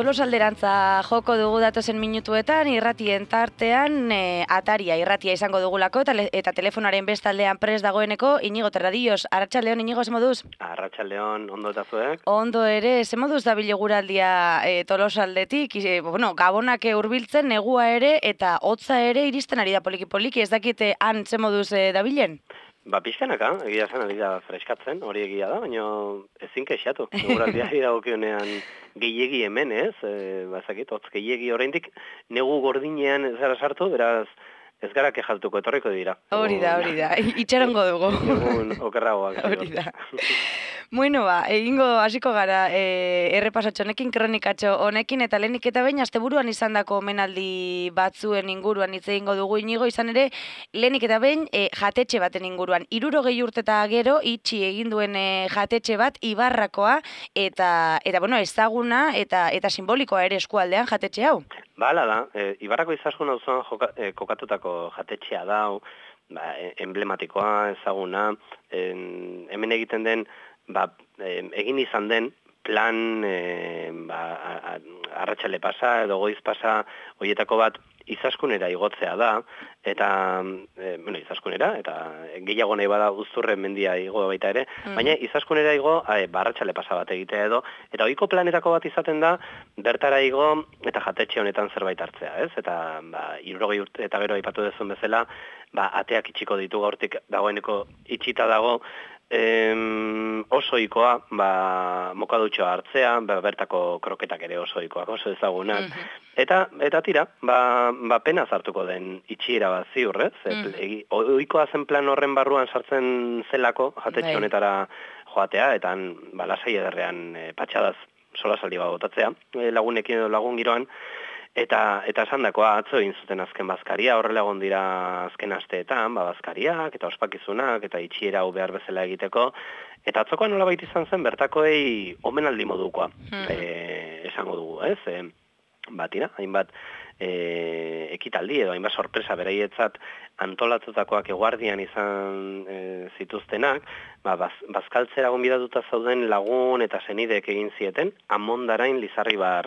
Tolosa alderantza joko dugu datozen minutuetan, irratien tartean ataria irratia izango dugulako eta telefonaren bestaldean prest dagoeneko Inigo Terradillos. Arratsaldeon, Inigo, ze moduz? Arratsaldeon, ondo eta zuek? Ondo ere, ze moduz dabile guraldia Tolosa aldetik, gabonak hurbiltzen, negua ere eta hotza ere iristen ari da poliki-poliki, ez dakite han ze moduz dabilen? Pixkanaka, egia zen, ari da freskatzen, hori egia da, baina ezin kexatu. Eguraldiari dagokionean gehiegi hemen, ez? Bazakit, hotz gehiegi oraindik negu gordinean ez gara sartu, beraz ez gara kexatuko etorriko dira. Hori da, itxarongo dugu. Egun okerragoak. Hori da. Bueno, egingo hasiko gara errepasatxo honekin, kronikatxo honekin, eta lehenik eta behin asteburuan izandako omenaldi batzuen inguruan hitz egingo dugu, Inigo, izan ere lehenik eta behin jatetxe baten inguruan. 60 urte eta gero itxi egin duen jatetxe bat Ibarrakoa eta ezaguna eta simbolikoa ere eskualdean jatetxe hau. Hala da, Ibarrako Izaskun auzoan kokatutako jatetxea da, emblematikoa, ezaguna, hemen egiten den, egin izan den plan arratsale pasa edo goiz pasa horietako bat Izaskunera igotzea da, eta, Izaskunera, eta gehiago nahi bada Uzturren mendia igo baita ere, baina Izaskunera igo arratsale pasa bat egitea edo, eta ohiko planetako bat izaten da, bertara igo eta jatetxe honetan zerbait hartzea, ez? Eta 60 urte eta gero aipatu duzun bezala, ateak itxiko ditu gaurtik dagoeneko itxita dago, oso ohikoa mokadutxoa hartzea, bertako kroketak ere oso ohikoak, oso ezagunak. Eta tira, pena hartuko den itxiera bat ziur, ez? Ohikoa zen plan horren barruan sartzen zelako jatetxe honetara joatea, eta lasai ederrean patxadaz solasaldi bat botatzea, lagunekin edo lagun giroan. Eta esandakoa atzo egin zuten azken bazkaria, horrela egon dira azken asteetan, bazkariak eta ospakizunak eta itxiera hau behar bezala egiteko, eta atzokoa nolabait izan zen bertakoei omenaldi modukoa, esango dugu, ez? Tira, hainbat ekitaldi edo hainbat sorpresa beraietzat antolatutakoak eguardian izan zituztenak, bazkaltzera gonbidatuta zauden lagun eta senideek egin zieten, Amondarain Lizarribar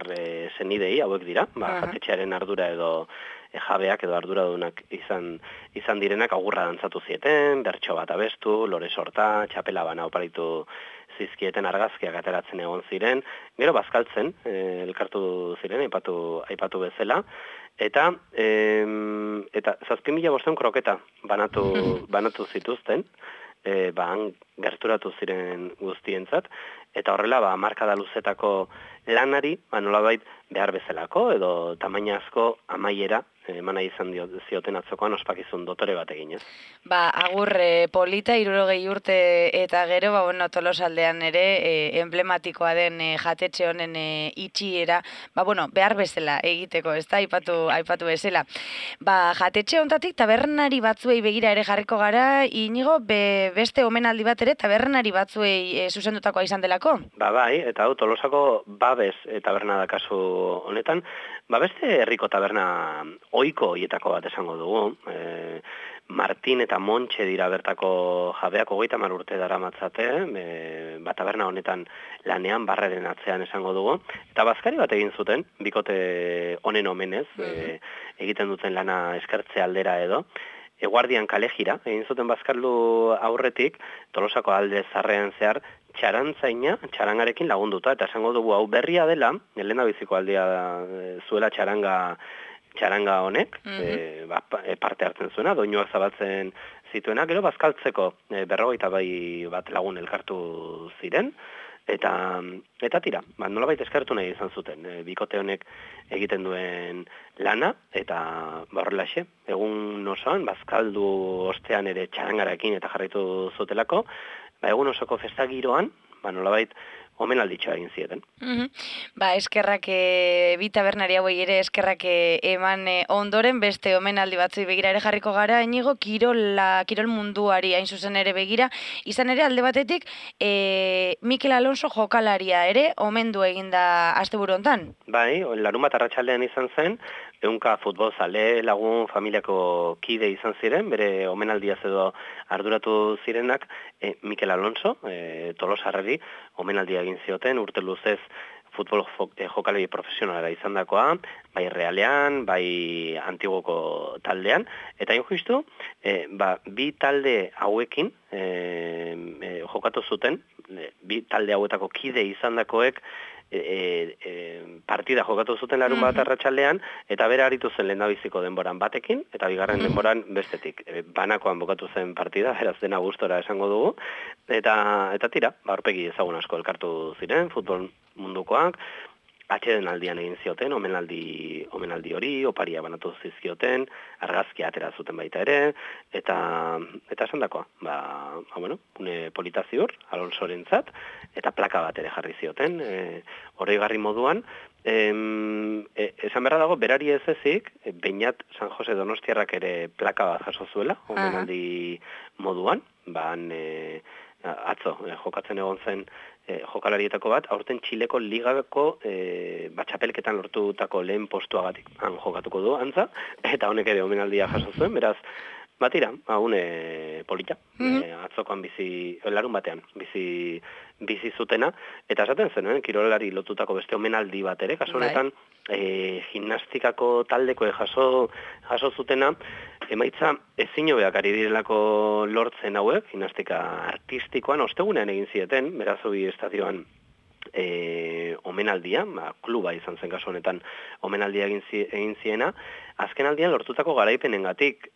senidei hauek dira, jatetxearen ardura edo jabeak edo arduradunak izan direnak agurra dantzatu zieten, bertso bat abestu, lore sorta, txapela bana oparitu zizkieten argazkiak ateratzen egon ziren, gero bazkaltzen, elkartu ziren, aipatu bezala, eta 7.500 kroketa banatu zituzten, han gerturatu ziren guztientzat, eta horrela, markada luzetako lanari, nolabait behar bezalako, edo tamainazko amaiera, emana izan zioten atzokoan ospakizun dotore bat eginez. Agur polita, 60 urte eta gero, Tolosa aldean ere emblematikoa den jatetxe honen itxiera, behar bezala egiteko, ez da, aipatu bezala. Jatetxe honetatik tabernari batzuei begira ere jarriko gara, Inigo, beste omenaldi bat ere tabernari batzuei zuzendutakoa izan delako? Bai, eta Tolosako Babes taberna da kasu honetan, beste herriko taberna ohiko hietako bat esango dugu. Martin eta Montxe dira bertako jabeak 30 urte daramatzate, taberna honetan lanean barreren atzean esango dugu. Eta bazkari bat egin zuten, bikote honen omenez, egiten duten lana eskertze aldera edo. Eguardian kalejira, egin zuten bazkaldu aurretik, Tolosako alde zarrean zehar, txarantzaina, txarangarekin lagunduta, eta esango dugu hau berria dela, helena biziko aldia zuela txaranga honek, parte hartzen zuena, doinuak zabaltzen zituena, gero bazkaltzeko 52 bat lagun elkartu ziren, eta tira, nolabait eskertu nahi izan zuten, bikote honek egiten duen lana, eta horrelaxe, egun osoan, bazkaldu ostean ere txarangarakin eta jarraitu zutelako, egun osoko festagiroan, nolabait omenalditxoa egin zieten. Eskerrak bi tabernari hauei ere eskerrak eman ondoren beste omenaldi batzui begira ere jarriko gara, Inigo, kirol munduari hain zuzen ere begira, izan ere alde batetik Mikel Alonso jokalaria ere omendu eginda asteburu hontan. Larunbat arratsaldean izan zen, ehunka futbolzale lagun familiako kide izan ziren, bere omenaldiaz edo arduratu zirenak, Mikel Alonso, Tolosarrari, omenaldia egin zioten, urte luzez jokalari profesionalara izandakoa, bai Realean, bai Antiguoko taldean, eta justu, bi talde hauekin jokatu zuten, bi talde hauetako kide izandakoek partida jokatu zuten larun bat arratsaldean, eta bera aritu zen lehendabiziko denboran batekin, eta bigarren denboran bestetik. Banakoan bukatu zen partida, beraz dena gustora esango dugu, eta tira, aurpegi ezagun asko elkartu ziren, futbol mundukoak, atxeden aldian egin zioten, omenaldi hori, oparia banatu zizkioten, argazkia atera zuten baita ere, eta esan dakoa, une polita ziur, Alonsorentzat, eta plaka bat ere jarri zioten, oroigarri moduan, esan beharra dago, berari ez ezik, Beñat San Jose Donostiarrak ere plaka bat jaso zuela, omenaldi moduan, atzo, jokatzen egon zen jokalarietako bat, aurten Txileko ligako txapelketan lortutako lehen postuagatik jokatuko du, antza, eta honek ere omenaldia jaso zuen, beraz, batira, une polita, atzokoan larun batean, bizi zutena, eta esaten zen, kirolari lotutako beste omenaldi bat ere, kasu honetan, gimnastikako taldeko jaso zutena, emaitza ezin hobeak ari direlako lortzen hauek, gimnastika artistikoan, ostegunean egin zieten, Berazobi estadioan omenaldia, kluba izan zen kasu honetan omenaldia egin ziena, azken aldian lortutako garaipenengatik.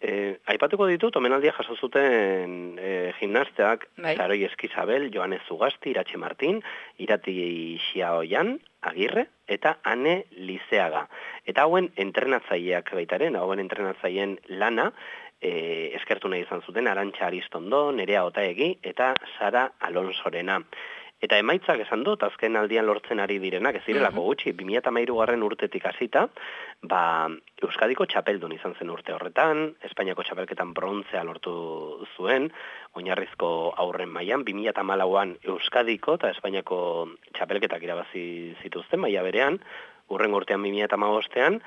Aipatuko ditut, omenaldia jaso zuten gimnasteak, Zaroi Eskizabel, Joanes Zugasti, Iratxe Martin, Irati Xiaoyan, Agirre, eta Ane Lizeaga. Eta hauen entrenatzaileak baitaren, hauen entrenatzaileen lana, eskertu nahi izan zuten, Arantxa Aristondo, Nerea Otaegi, eta Sara Alonsorena. Eta emaitzak esan dut, azken aldian lortzen ari direnak, ez direlako gutxi, 2013 urtetik hasita, Euskadiko txapeldun izan zen urte horretan, Espainiako txapelketan brontzea lortu zuen, oinarrizko aurren mailan, 2014an Euskadiko eta Espainiako txapelketak irabazi zituzten maila berean, urren urtean 2015ean,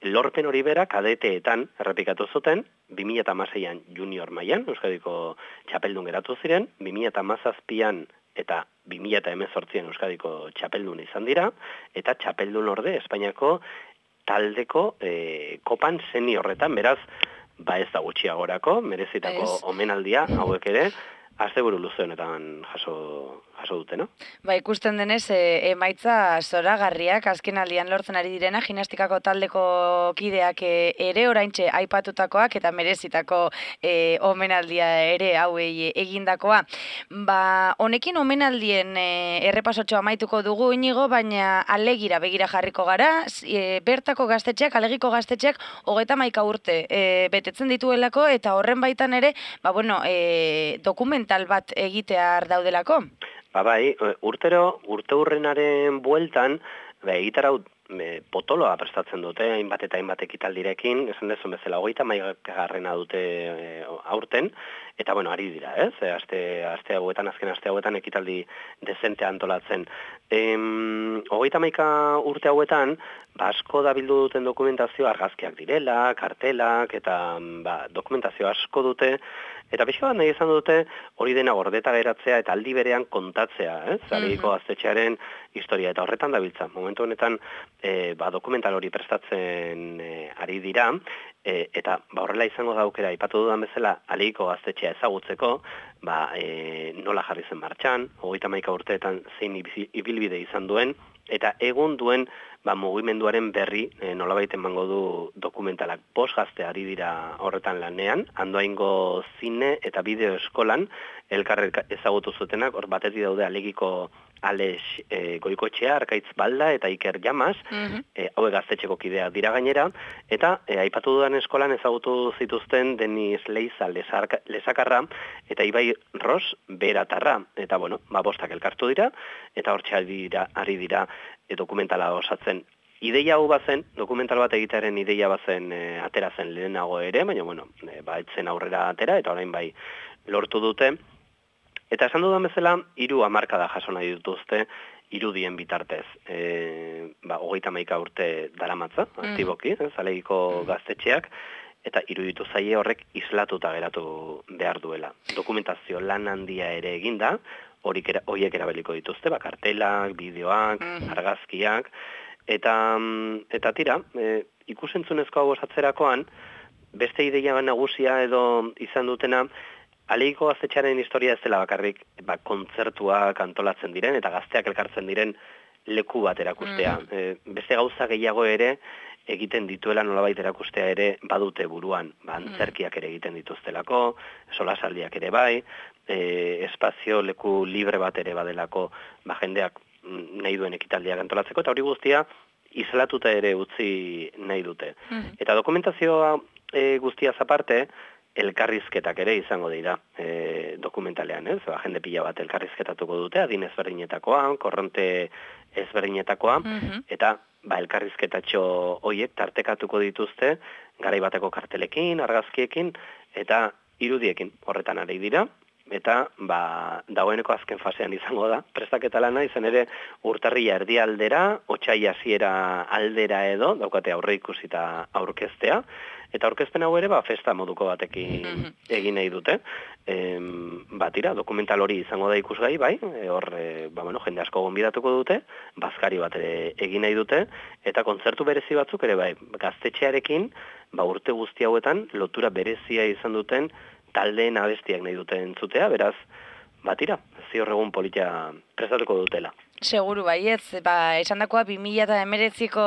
lorpen hori bera kadeteetan errepikatu zuten, 2016an junior mailan, Euskadiko txapeldun geratu ziren, 2017an eta 2018an Euskadiko txapeldun izan dira, eta txapeldun orde Espainiako taldeko kopan seniorretan, beraz, ez da gutxiagorako, merezitako omenaldia, hauek ere, asteburu luze honetan jaso dute, no? Ikusten denez, emaitza zoragarriak azken aldian lortzen ari direna, gimnastikako taldeko kideak ere oraintxe aipatutakoak eta merezitako omenaldia ere hauei egindakoa. Honekin omenaldien errepasotxo amaituko dugu, Inigo, baina alegira begira jarriko gara, bertako gaztetxeak, alegiko gaztetxeak 31 urte betetzen dituelako, eta horren baitan ere, dokumental bat egitear daudelako. Urte hurrenaren bueltan, egitarau potoloa prestatzen dute, hainbat eta hainbat ekitaldirekin, esan dezun bezala, 31 dute aurten, eta ari dira, ez? Azken aste hauetan ekitaldi dezente antolatzen. 31 urte hauetan, asko da bildu duten dokumentazio argazkiak direla, kartelak, eta dokumentazio asko dute, eta pixka bat nahi izan dute hori dena gordeta geratzea eta aldi berean kontatzea, Zalegiko gaztetxearen historia, eta horretan dabiltza. Momentu honetan dokumental hori prestatzen ari dira, eta horrela izango da aukera, aipatu dudan bezala, Alegiko gaztetxea ezagutzeko, nola jarri zen martxan, 31 urteetan zein ibilbide izan duen, eta egun duen mugimenduaren berri nolabait emango du dokumentalak. 5 gazte ari dira horretan lanean, Andoaingo zine eta bideo eskolan elkarre ezagutu zutenak, hor batetik daude Alegiko Alex Goikoetxea, Arkaitz Balda eta Iker Llamas, hauek gaztetxeko kideak dira gainera, eta aipatu dudan eskolan ezagutu zituzten Denis Leiza Lesakarra eta Ibai Ros Beratarra, eta bostak elkartu dira, eta hortxe ari dira dokumentala osatzen. Ideia hau bazen, dokumental bat egitearen ideia bazen atera zen lehenago ere, baina etzen aurrera atera, eta orain lortu dute. Eta esan dudan bezala, 3 hamarkada jaso nahi dituzte, irudien bitartez. 31 urte daramatza, aktiboki, Zalegiko gaztetxeak, eta iruditu zaie horrek islatuta geratu behar duela. Dokumentazio lan handia ere eginda, horiek erabiliko dituzte, kartelak, bideoak, argazkiak, eta tira, ikusentzunezko hau osatzerakoan, beste ideia nagusia edo izan dutena, Alegiko Gaztetxearen historia ez dela bakarrik kontzertuak antolatzen diren eta gazteak elkartzen diren leku bat erakustea. Beste gauza gehiago ere egiten dituela nolabait erakustea ere badute buruan. Antzerkiak ere egiten dituztelako, solasaldiak ere bai, espazio leku libre bat ere badelako jendeak nahi duen ekitaldiak antolatzeko, eta hori guztia islatuta ere utzi nahi dute. Eta dokumentazioa guztiaz aparte, elkarrizketak ere izango dira dokumentalean, ez? Jende pila bat elkarrizketatuko dute, adin ezberdinetakoa, korronte ezberdinetakoa, eta elkarrizketatxo horiek tartekatuko dituzte, garai bateko kartelekin, argazkiekin, eta irudiekin horretan ari dira, eta dagoeneko azken fasean izango da. Prestaketa lana izan ere urtarrila erdialdera, otsaila hasiera aldera edo, daukate aurre ikusita aurkeztea, eta aurkezpen hau ere festa moduko batekin egin nahi dute. Tira, dokumental hori izango da ikusgai, bai, hor jende asko gonbidatuko dute, bazkari bat ere egin nahi dute, eta kontzertu berezi batzuk ere bai, gaztetxearekin, urte guzti hauetan lotura berezia izan duten taldeen abestiak nahi dute entzutea, beraz, tira, ziur egun politia prestatuko dutela. Seguru baietz, esan dakoa 2019ko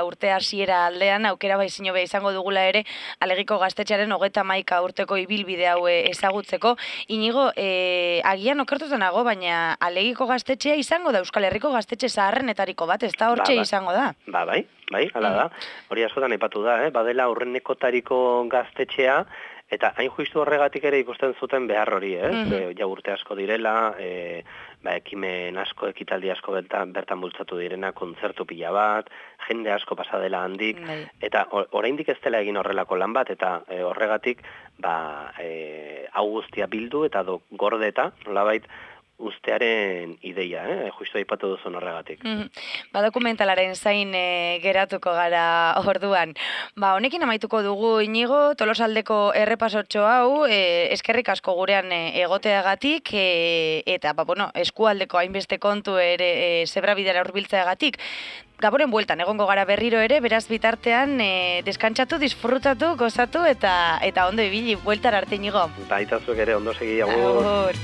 urte hasiera aldean, aukera baizino izango dugula ere, Alegiko Gaztetxearen 31 urteko ibilbide hau ezagutzeko. Inigo, agian okertuta nago, baina Alegiko Gaztetxea izango da Euskal Herriko gaztetxe zaharrenetariko bat, ez da hortxe izango da? Bai, hala da. Hori askotan aipatu da, badela aurrenekotariko gaztetxea, eta hain justu horregatik ere ikusten zuten behar hori, ja urte asko direla, ekimen asko, ekitaldi asko bertan bultzatu direna, kontzertu pila bat, jende asko pasa dela handik, eta oraindik ez dela egin horrelako lan bat, eta horregatik hau guztia bildu eta gordeta, nolabait, ustearen ideia, justu aipatu duzun horregatik. Dokumentalaren zain geratuko gara orduan. Honekin amaituko dugu, Inigo, Tolosaldeko errepasotxo hau, eskerrik asko gurean egoteagatik, eta eskualdeko hainbeste kontu ere zebrabidera hurbiltzeagatik. Gaboren bueltan, egongo gara berriro ere, beraz bitartean deskantsatu, disfrutatu, gozatu eta ondo ibili, bueltar arte, Inigo. Baita zuek ere ondo segi, agur.